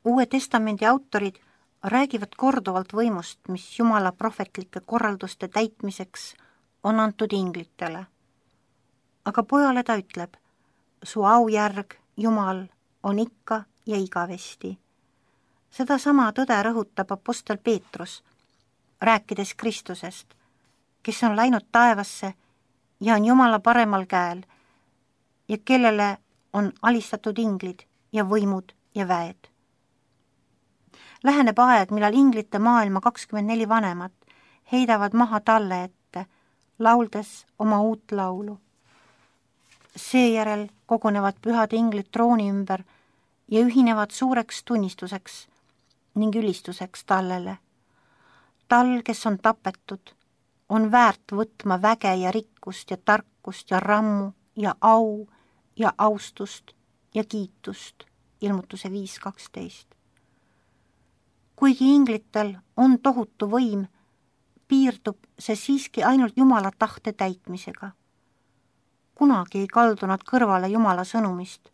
Uue Testamendi autorid räägivad korduvalt võimust, mis Jumala prohvetlike korralduste täitmiseks on antud inglitele. Aga pojale ta ütleb, su aujärg, Jumal, on ikka ja igavesti. Seda sama tõde rõhutab apostel Peetrus, rääkides Kristusest, kes on läinud taevasse ja on Jumala paremal käel ja kellele on alistatud inglid ja võimud ja väed. Läheneb aeg, millal inglite maailma 24 vanemat heidavad maha talle ette, lauldes oma uut laulu. Seejärel kogunevad pühad inglid trooni ümber ja ühinevad suureks tunnistuseks ning ülistuseks tallele. Tal, kes on tapetud, on väärt võtma väge ja rikkust ja tarkust ja rammu ja au ja austust ja kiitust, ilmutuse 5.12. Kuigi inglitel on tohutu võim, piirdub see siiski ainult Jumala tahte täitmisega. Kunagi ei kaldu nad kõrvale Jumala sõnumist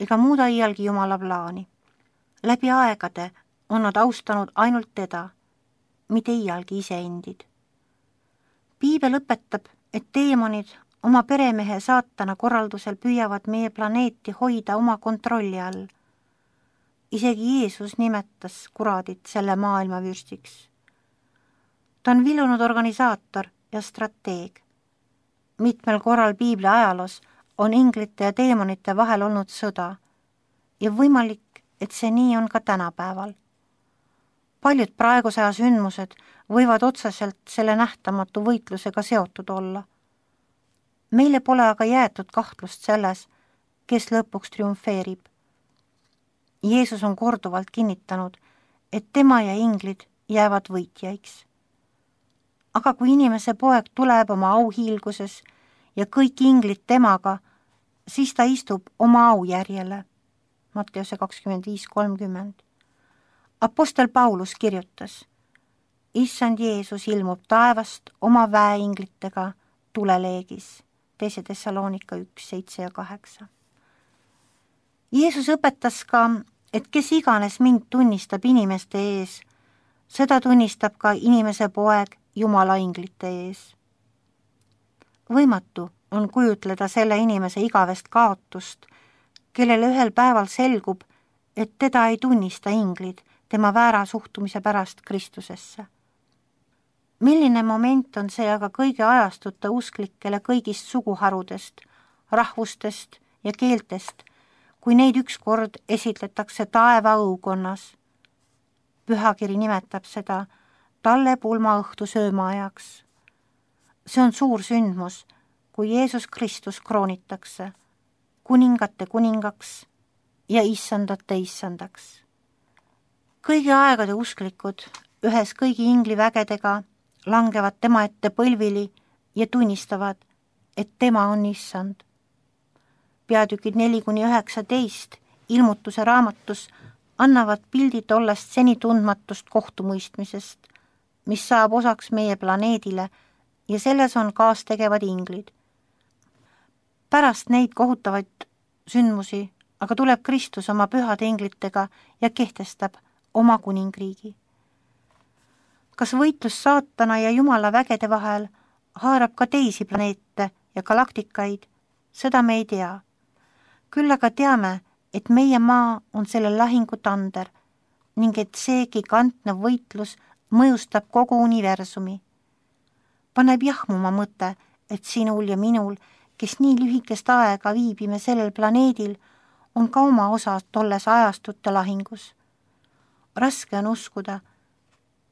ega muuda iialgi Jumala plaani. Läbi aegade on nad austanud ainult teda, mitte iialgi iseendid. Piibel õpetab, et teemonid oma peremehe saatana korraldusel püüavad meie planeeti hoida oma kontrolli all. Isegi Jeesus nimetas kuradit selle maailma vürstiks. Ta on vilunud organisaator ja strateeg. Mitmel korral Piibli ajaloos on inglite ja teemonite vahel olnud sõda ja võimalik, et see nii on ka tänapäeval. Paljud praeguse aja sündmused võivad otseselt selle nähtamatu võitlusega seotud olla. Meile pole aga jäetud kahtlust selles, kes lõpuks triumfeerib. Jeesus on korduvalt kinnitanud, et tema ja inglid jäävad võitjaiks. Aga kui inimese poeg tuleb oma auhiilguses ja kõik inglid temaga, siis ta istub oma aujärjele. Matteuse 25.30. Apostel Paulus kirjutas, Issand Jeesus ilmub taevast oma väeinglitega tuleleegis, 2. Tessaloonika 1.7-8. Jeesus õpetas ka, et kes iganes mind tunnistab inimeste ees, seda tunnistab ka inimese poeg Jumala inglite ees. Võimatu on kujutleda selle inimese igavest kaotust, kellele ühel päeval selgub, et teda ei tunnista inglid tema väära suhtumise pärast Kristusesse. Milline moment on see aga kõigi ajastute usklikele kõigist suguharudest, rahvustest ja keeltest, kui neid ükskord esitletakse taeva õukonnas. Pühakiri nimetab seda talle pulmaõhtu söömaajaks. See on suur sündmus, kui Jeesus Kristus kroonitakse kuningate kuningaks ja issandate issandaks. Kõigi aegade usklikud ühes kõigi inglivägedega langevad tema ette põlvili ja tunnistavad, et tema on issand. Peatükid 4-19 ilmutuse raamatus annavad pildi tollest seni tundmatust kohtumõistmisest, mis saab osaks meie planeedile ja selles on kaastegevad inglid. Pärast neid kohutavaid sündmusi aga tuleb Kristus oma pühade inglitega ja kehtestab oma kuningriigi. Kas võitlus saatana ja Jumala vägede vahel haarab ka teisi planeete ja galaktikaid, seda me ei tea. Küll aga teame, et meie maa on selle lahingu tander ning et see gigantne võitlus mõjustab kogu universumi. Paneb jahmuma mõte, et sinul ja minul, kes nii lühikest aega viibime sellel planeedil, on ka oma osa tolles ajastute lahingus. Raske on uskuda,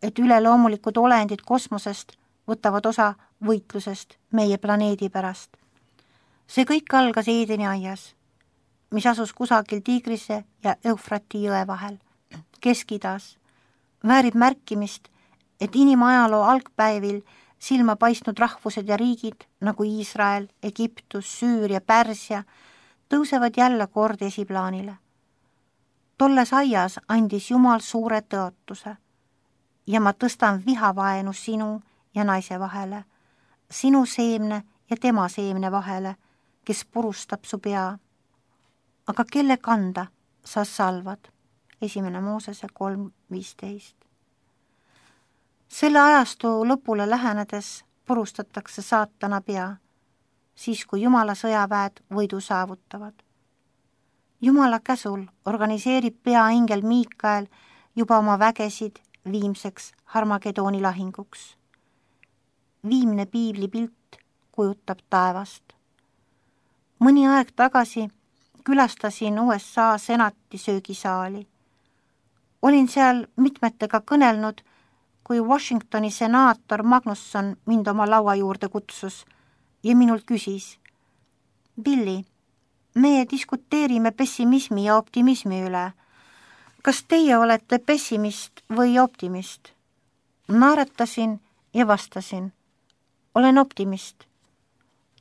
et üleloomulikud olendid kosmosest võtavad osa võitlusest meie planeedi pärast. See kõik algas Eedeni aias, mis asus kusagil Tigrise ja Eufrati jõe vahel, Kesk-Idas. Väärib märkimist, et inimajaloo algpäevil silma paistnud rahvused ja riigid nagu Iisrael, Egiptus, Süüria, Pärsia tõusevad jälle kord esiplaanile. Tolles aias andis Jumal suure tõotuse ja ma tõstan vihavaenu sinu ja naise vahele, sinu seemne ja tema seemne vahele, kes purustab su pea. Aga kelle kanda sa salvad? 1 Moosese 3:15. Selle ajastu lõpule lähenedes purustatakse saatana pea, siis kui Jumala sõjaväed võidu saavutavad. Jumala käsul organiseerib peaingel Miikael juba oma vägesid viimseks Harmagedooni lahinguks. Viimne piiblipilt kujutab taevast. Mõni aeg tagasi külastasin USA senati söögisaali. Olin seal mitmetega kõnelnud, kui Washingtoni senaator Magnusson mind oma laua juurde kutsus ja minult küsis: Billy, me diskuteerime pessimismi ja optimismi üle. Kas teie olete pessimist või optimist? Naeratasin ja vastasin: olen optimist.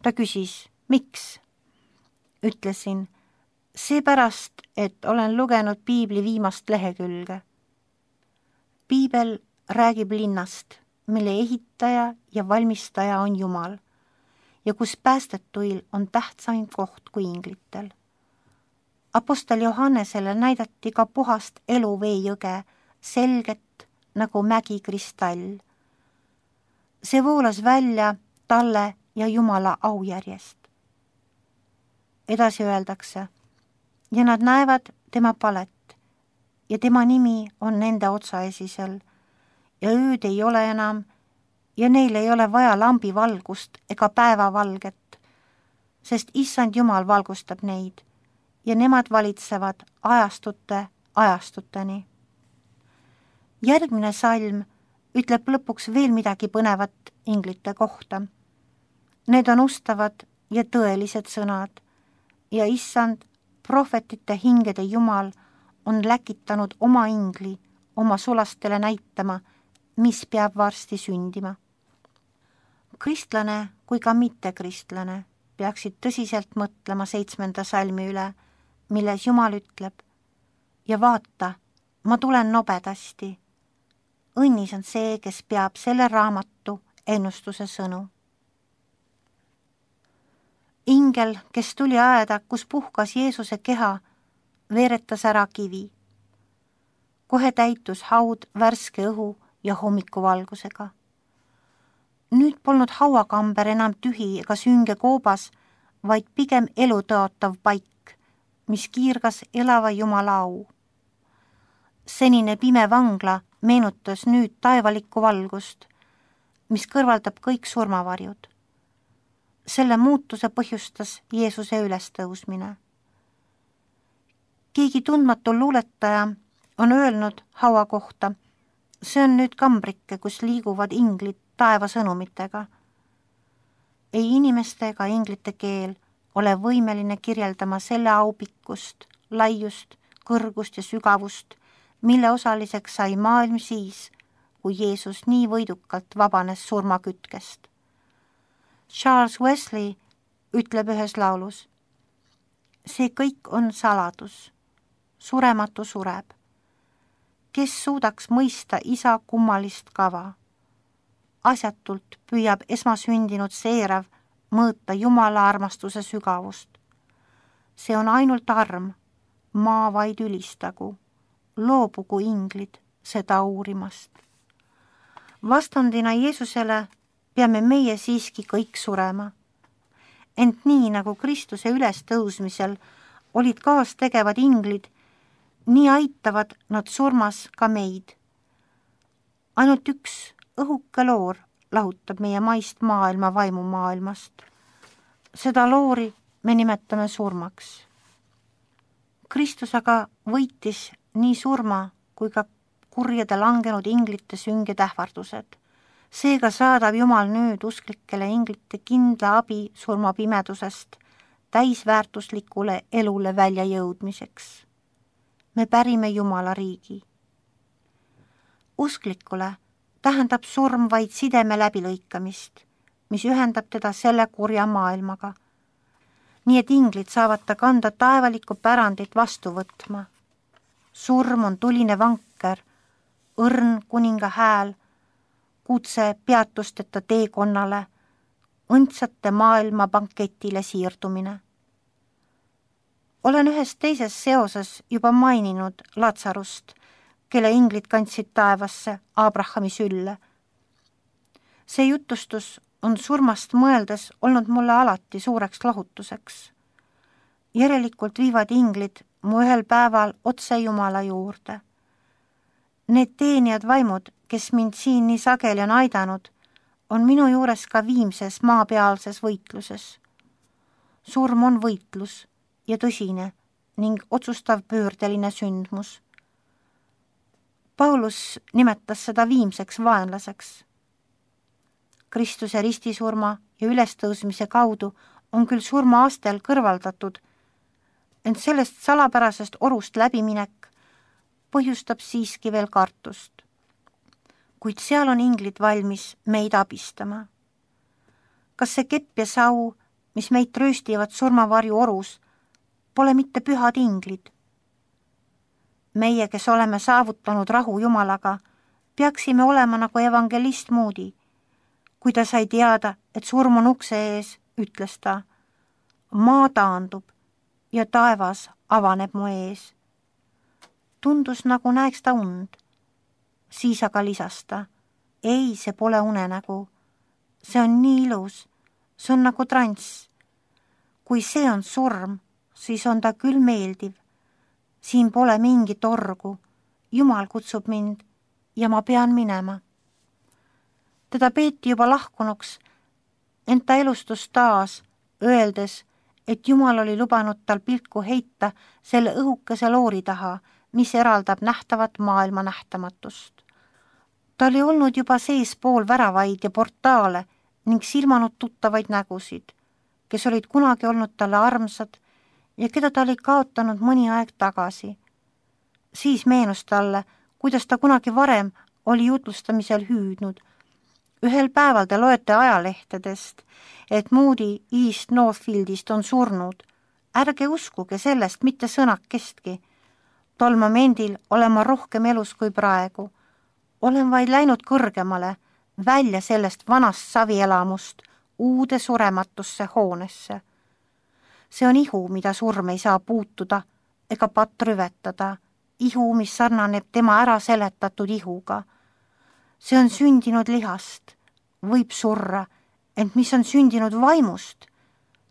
Ta küsis: miks? Ütlesin: seepärast, et olen lugenud piibli viimast lehekülge. Piibel räägib linnast, mille ehitaja ja valmistaja on Jumal ja kus päästetuil on tähtsaim koht kui inglitel. Apostel Johannesele näidati ka puhast eluveejõge, selget nagu mägikristall. See voolas välja talle ja Jumala aujärjest. Edasi öeldakse: ja nad näevad tema palet ja tema nimi on nende otsaesisel ja ööd ei ole enam ja neil ei ole vaja lambivalgust ega päevavalget, sest Issand Jumal valgustab neid ja nemad valitsevad ajastuteni. Järgmine salm ütleb lõpuks veel midagi põnevat inglite kohta. Need on ustavad ja tõelised sõnad ja Issand, prohvetite hingede Jumal, on läkitanud oma ingli oma sulastele näitama, mis peab varsti sündima. Kristlane kui ka mittekristlane peaksid tõsiselt mõtlema 7. salmi üle, milles Jumal ütleb: ja vaata, ma tulen nobedasti. Õnnis on see, kes peab selle raamatu ennustuse sõnu. Ingel, kes tuli aeda, kus puhkas Jeesuse keha, veeretas ära kivi. Kohe täitus haud värske õhu ja hommikuvalgusega. Nüüd polnud hauakamber enam tühi ega sünge koobas, vaid pigem elutõotav paik, mis kiirgas elava Jumala au. Senine pime vangla meenutas nüüd taevalikku valgust, mis kõrvaldab kõik surmavarjud. Selle muutuse põhjustas Jeesuse ülestõusmine. Keegi tundmatu luuletaja on öelnud haua kohta: see on nüüd kambrike, kus liiguvad inglid taeva sõnumitega. Ei inimeste ega inglite keel ole võimeline kirjeldama selle aupikkust, laiust, kõrgust ja sügavust, mille osaliseks sai maailm siis, kui Jeesus nii võidukalt vabanes surmakütkest. Charles Wesley ütleb ühes laulus: see kõik on saladus, surematu sureb. Kes suudaks mõista isa kummalist kava? Asjatult püüab esmasündinud seerav mõõta Jumala armastuse sügavust. See on ainult arm, maa vaid ülistagu, loobugu inglid seda uurimast. Vastandina Jeesusele peame meie siiski kõik surema. Ent nii nagu Kristuse ülestõusmisel olid kaastegevad inglid, nii aitavad nad surmas ka meid. Ainult üks õhuke loor lahutab meie maist maailma vaimumaailmast. Seda loori me nimetame surmaks. Kristus aga võitis nii surma kui ka kurjade langenud inglite sünged ähvardused. Seega saadab Jumal nüüd usklikele inglite kindla abi surmapimedusest täisväärtuslikule elule välja jõudmiseks. Me pärime Jumala riigi. Usklikule tähendab surm vaid sideme läbilõikamist, mis ühendab teda selle kurja maailmaga. Nii et inglid saavad ta kanda taevalikku pärandit vastu võtma. Surm on tuline vanker, õrn kuninga hääl, kutse peatusteta teekonnale, õndsate maailma banketile siirdumine. Olen ühes teises seoses juba maininud Latsarust, kelle inglid kandsid taevasse Abrahami sülle. See jutustus on surmast mõeldes olnud mulle alati suureks lohutuseks. Järelikult viivad inglid mu ühel päeval otse Jumala juurde. Need teenijad vaimud, kes mind siin nii sageli on aidanud, on minu juures ka viimses maapealses võitluses. Surm on võitlus ja tõsine ning otsustav pöördeline sündmus. Paulus nimetas seda viimseks vaenlaseks. Kristuse ristisurma ja ülestõusmise kaudu on küll surmaastel kõrvaldatud, ent sellest salapärasest orust läbiminek põhjustab siiski veel kartust. Kuid seal on inglid valmis meid abistama. Kas see kepp ja sau, mis meid trööstivad surmavarju orus, pole mitte pühad inglid? Meie, kes oleme saavutanud rahu Jumalaga, peaksime olema nagu evangelist Moody. Kui ta sai teada, et surm on ukse ees, ütles ta, maa taandub ja taevas avaneb mu ees. Tundus nagu näeks ta und. Siis aga lisas ta, ei, see pole unenägu. See on nii ilus, see on nagu transs. Kui see on surm, siis on ta küll meeldiv. Siin pole mingit orgu. Jumal kutsub mind ja ma pean minema. Teda peeti juba lahkunuks, ent ta elustus taas, öeldes, et Jumal oli lubanud tal pilku heita selle õhukese loori taha, mis eraldab nähtavat maailma nähtamatust. Ta oli olnud juba seespool väravaid ja portaale ning silmanud tuttavaid nägusid, kes olid kunagi olnud talle armsad ja keda ta oli kaotanud mõni aeg tagasi. Siis meenus talle, kuidas ta kunagi varem oli jutlustamisel hüüdnud. Ühel päeval te loete ajalehtedest, et Moody East Northfieldist on surnud. Ärge uskuge sellest mitte sõnakestki. Tol momendil olen ma rohkem elus kui praegu. Olen vaid läinud kõrgemale, välja sellest vanast savielamust, uude surematusse hoonesse. See on ihu, mida surm ei saa puutuda ega patt rüvetada. Ihu, mis sarnaneb tema ära seletatud ihuga. See on sündinud lihast, võib surra, ent mis on sündinud vaimust,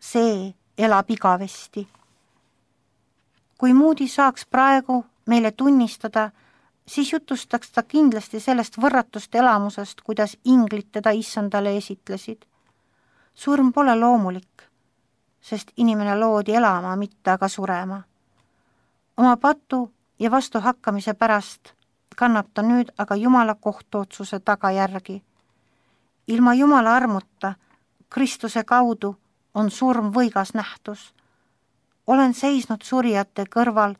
see elab igavesti. Kui Moody saaks praegu meile tunnistada, siis jutustaks ta kindlasti sellest võrratust elamusest, kuidas inglid teda issandale esitlesid. Surm pole loomulik, sest inimene loodi elama, mitte aga surema. Oma patu ja vastuhakkamise pärast kannab ta nüüd aga Jumala kohtuotsuse tagajärgi. Ilma Jumala armuta, Kristuse kaudu, on surm võigas nähtus. Olen seisnud surijate kõrval,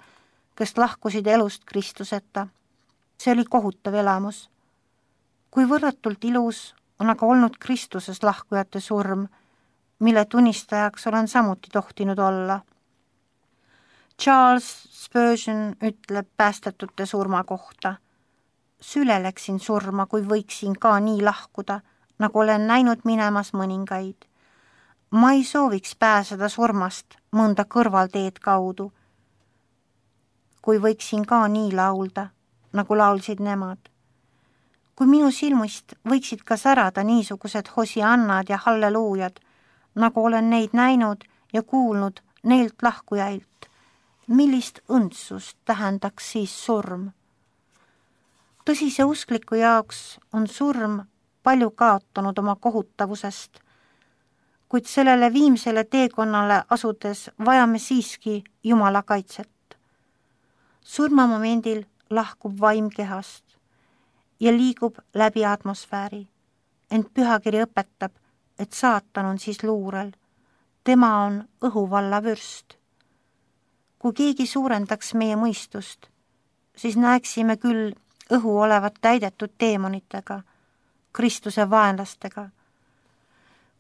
kes lahkusid elust Kristuseta. See oli kohutav elamus. Kui võrratult ilus on aga olnud Kristuses lahkujate surm, mille tunnistajaks olen samuti tohtinud olla. Charles Spurgeon ütleb päästetute surma kohta. Süle läksin surma, kui võiksin ka nii lahkuda, nagu olen näinud minemas mõningaid. Ma ei sooviks pääseda surmast mõnda kõrvalteed kaudu, kui võiksin ka nii laulda, nagu laulsid nemad. Kui minu silmist võiksid ka särada niisugused hosiannad ja halleluujad, nagu olen neid näinud ja kuulnud neilt lahkujailt, millist õndsust tähendaks siis surm? Tõsise uskliku jaoks on surm palju kaotanud oma kohutavusest, kuid sellele viimsele teekonnale asudes vajame siiski Jumala kaitset. Surmamomendil lahkub vaim kehast ja liigub läbi atmosfääri, ent pühakiri õpetab, et saatan on siis luurel. Tema on õhuvalla vürst. Kui keegi suurendaks meie mõistust, siis näeksime küll õhu olevat täidetud teemonitega, Kristuse vaenlastega.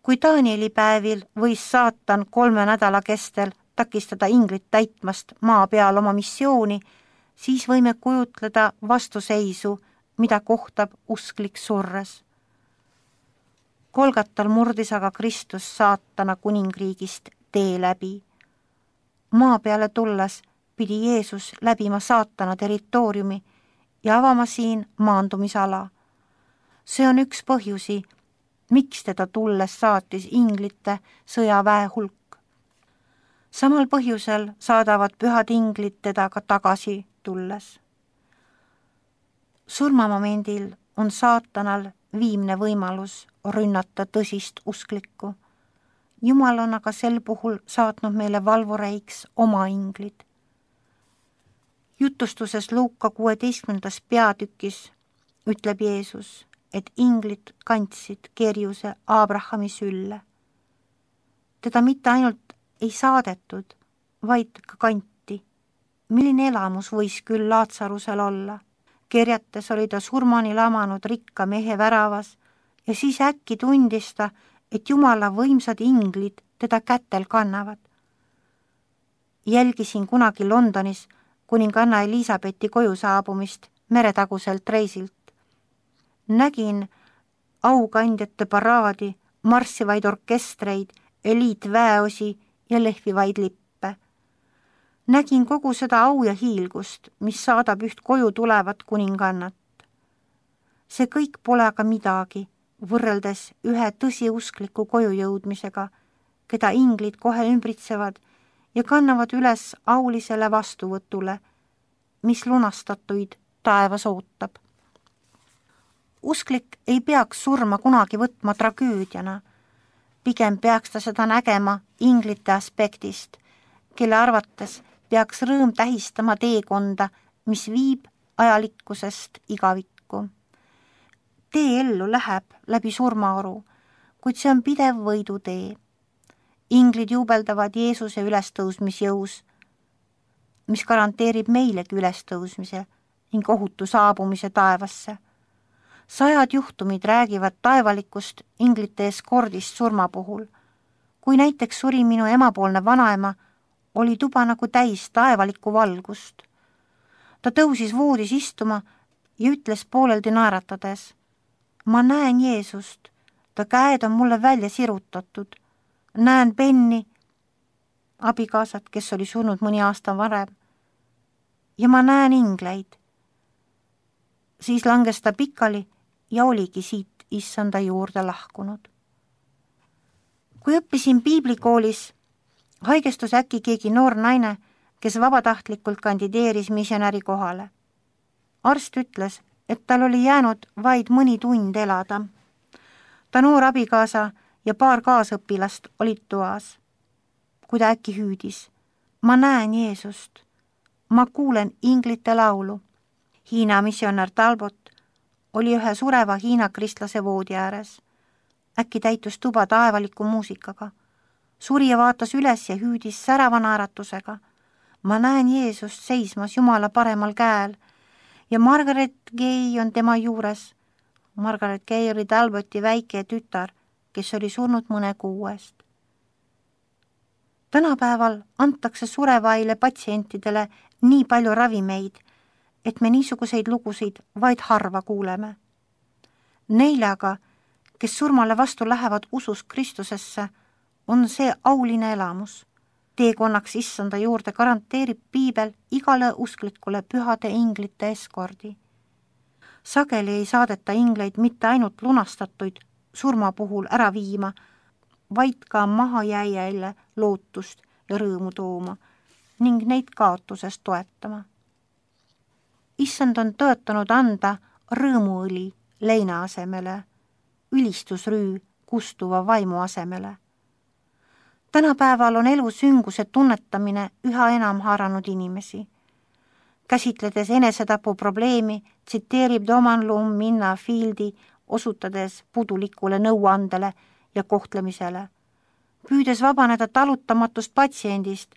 Kui Danieli päevil võis saatan 3 nädala kestel takistada inglit täitmast maa peal oma missiooni, siis võime kujutleda vastuseisu, mida kohtab usklik surres. Golgatal murdis aga Kristus saatana kuningriigist tee läbi. maa peale tulles pidi Jeesus läbima saatana territooriumi ja avama siin maandumisala. See on üks põhjusi, miks teda tulles saatis inglite sõjaväe hulk. Samal põhjusel saadavad pühad inglid teda ka tagasi tulles. Surmamomendil on saatanal viimne võimalus rünnata tõsist usklikku. Jumal on aga sel puhul saatnud meile valvureiks oma inglid. Jutustuses Luuka 16. peatükis ütleb Jeesus, et inglid kandsid kerjuse Abrahami sülle. Teda mitte ainult ei saadetud, vaid ka kanti. Milline elamus võis küll Laatsarusel olla? Kerjates oli ta surmani lamanud rikka mehe väravas ja siis äkki tundis ta, et Jumala võimsad inglid teda kätel kannavad. Jälgisin kunagi Londonis kuninganna Elisabethi koju saabumist meretaguselt reisilt. Nägin aukandjate paraadi, marssivaid orkestreid, eliitväeosi ja lehvivaid lippe. Nägin kogu seda au ja hiilgust, mis saadab üht koju tulevat kuningannat. See kõik pole aga midagi, võrreldes ühe tõsiuskliku koju jõudmisega, keda inglid kohe ümbritsevad ja kannavad üles aulisele vastuvõtule, mis lunastatuid taevas ootab. Usklik ei peaks surma kunagi võtma tragöödiana, pigem peaks ta seda nägema inglite aspektist, kelle arvates peaks rõõm tähistama teekonda, mis viib ajalikkusest igavikku. Tee ellu läheb läbi surmaoru, kuid see on pidev võidutee. Inglid juubeldavad Jeesuse ülestõusmisjõus, mis garanteerib meilegi ülestõusmise ning ohutu saabumise taevasse. 100 juhtumid räägivad taevalikust inglite eskordist surma puhul. Kui näiteks suri minu emapoolne vanaema, oli tuba nagu täis taevalikku valgust. Ta tõusis voodis istuma ja ütles pooleldi naeratades: ma näen Jeesust, ta käed on mulle välja sirutatud. Näen Benni, abikaasat, kes oli surnud mõni aasta varem, ja ma näen ingleid. Siis langes ta pikali ja oligi siit issanda juurde lahkunud. Kui õppisin piiblikoolis, haigestus äkki keegi noor naine, kes vabatahtlikult kandideeris missionäri kohale. Arst ütles, et tal oli jäänud vaid mõni tund elada. Ta noor abikaasa ja paar kaasõpilast olid toas. Kui ta äkki hüüdis: ma näen Jeesust, ma kuulen inglite laulu. Hiina missionär Talbot oli ühe sureva Hiina kristlase voodi ääres. Äkki täitus tuba taevaliku muusikaga. Surija vaatas üles ja hüüdis särava naeratusega: ma näen Jeesust seismas Jumala paremal käel ja Margaret Gay on tema juures. Margaret Gay oli Talboti väike tütar, kes oli surnud mõne kuu eest. Tänapäeval antakse surevaile patsientidele nii palju ravimeid, et me niisuguseid lugusid vaid harva kuuleme. Neile aga, kes surmale vastu lähevad usus Kristusesse, on see auline elamus. Teekonnaks issanda juurde garanteerib piibel igale usklikule pühade inglite eskordi. Sageli ei saadeta ingleid mitte ainult lunastatuid surma puhul ära viima, vaid ka mahajääjäile lootust ja rõõmu tooma ning neid kaotuses toetama. Issand on tõotanud anda rõõmuõli leina asemele, ülistusrüü kustuva vaimu asemele. Tänapäeval on elu sünguse tunnetamine üha enam haaranud inimesi. Käsitledes enesetapu probleemi, tsiteerib Doman Lum Minna Fieldi, osutades pudulikule nõuandele ja kohtlemisele. Püüdes vabaneda talutamatust patsiendist,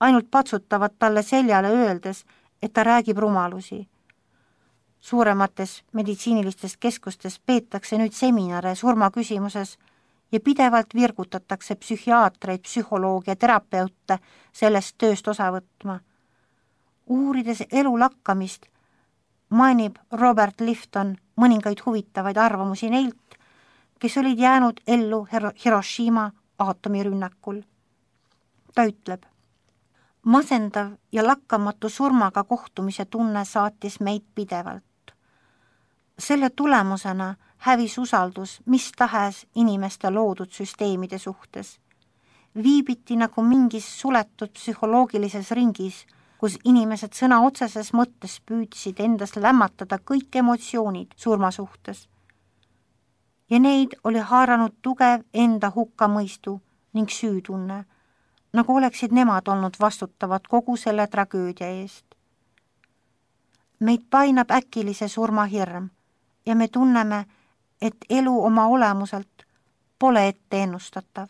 ainult patsutavad talle seljale öeldes, et ta räägib rumalusi. Suuremates meditsiinilistes keskustes peetakse nüüd seminare surmaküsimuses ja pidevalt virgutatakse psühhiaatreid, psühholoogia ja terapeute sellest tööst osa võtma. Uurides elu lakkamist, mainib Robert Lifton mõningaid huvitavaid arvamusi neilt, kes olid jäänud ellu Hiroshima aatomirünnakul. Ta ütleb: Masendav ja lakkamatu surmaga kohtumise tunne saatis meid pidevalt. Selle tulemusena hävis usaldus mis tahes inimeste loodud süsteemide suhtes. Viibiti nagu mingis suletud psühholoogilises ringis, kus inimesed sõna otseses mõttes püüdsid endas lämmatada kõik emotsioonid surma suhtes. Ja neid oli haaranud tugev enda hukkamõistu ning süütunne, nagu oleksid nemad olnud vastutavad kogu selle tragöödia eest. Meid painab äkilise surmahirm ja me tunneme, et elu oma olemuselt pole ette ennustatav.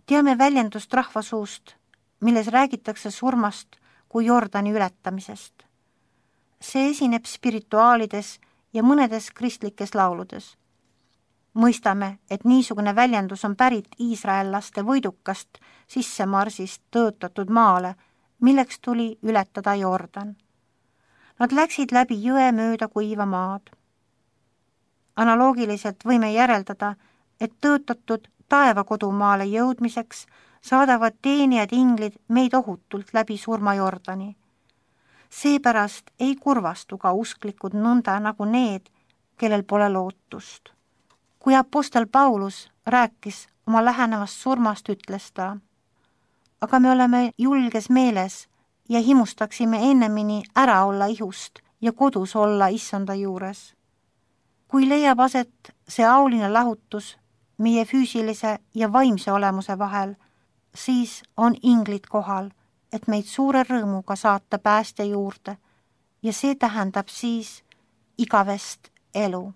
Teame väljendust rahvasuust, milles räägitakse surmast kui Jordani ületamisest. See esineb spirituaalides ja mõnedes kristlikes lauludes. Mõistame, et niisugune väljendus on pärit iisraellaste võidukast sissemarsist tõotatud maale, milleks tuli ületada Jordan. Nad läksid läbi jõe mööda kuiva maad. Analoogiliselt võime järeldada, et tõotatud taevakodumaale jõudmiseks saadavad teenijad inglid meid ohutult läbi surma Jordani. Seepärast ei kurvastu ka usklikud nõnda nagu need, kellel pole lootust. Kui apostel Paulus rääkis oma lähenevast surmast, ütles ta: aga me oleme julges meeles ja himustaksime ennemini ära olla ihust ja kodus olla issanda juures. Kui leiab aset see auline lahutus meie füüsilise ja vaimse olemuse vahel, siis on inglid kohal, et meid suure rõõmuga saata päästja juurde ja see tähendab siis igavest elu.